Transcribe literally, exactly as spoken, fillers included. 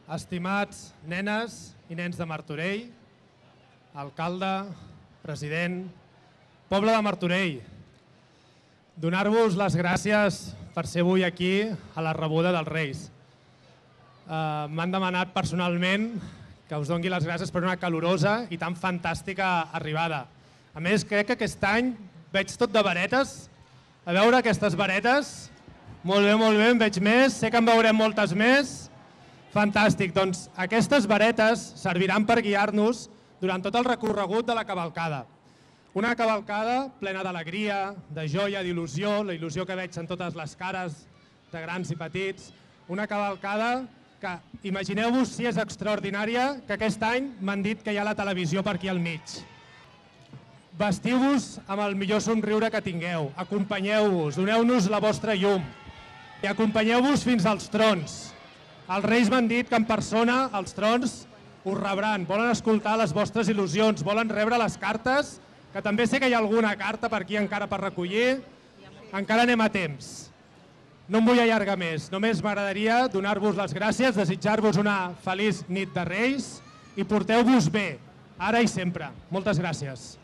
Estimats nenes i nens de Martorell, alcalde, president, poble de Martorell, donar-vos les gràcies per ser avui aquí a la rebuda dels Reis. Uh, M'han demanat personalment que us doni les gràcies per una calorosa i tan fantàstica arribada. A més, crec que aquest any veig tot de varetes. A veure aquestes varetes. Molt bé, molt bé, en veig més. Sé que en veurem moltes més. Fantàstic. Doncs aquestes varetes serviran per guiar-nos durant tot el recorregut de la cavalcada. Una cavalcada plena d'alegria, de joia, d'il·lusió, la il·lusió que veig en totes les cares de grans i petits. Una cavalcada que, imagineu-vos si és extraordinària, que aquest any m'han dit que hi ha la televisió per aquí al mig. Vestiu-vos amb el millor somriure que tingueu, acompanyeu-vos, doneu-nos la vostra llum i acompanyeu-vos fins als trons. Els Reis m'han dit que en persona els trons us rebran, volen escoltar les vostres il·lusions, volen rebre les cartes, que també sé que hi ha alguna carta per aquí encara per recollir, encara anem a temps. No em vull allargar més, només m'agradaria donar-vos les gràcies, desitjar-vos una feliç nit de Reis i porteu-vos bé, ara i sempre. Moltes gràcies.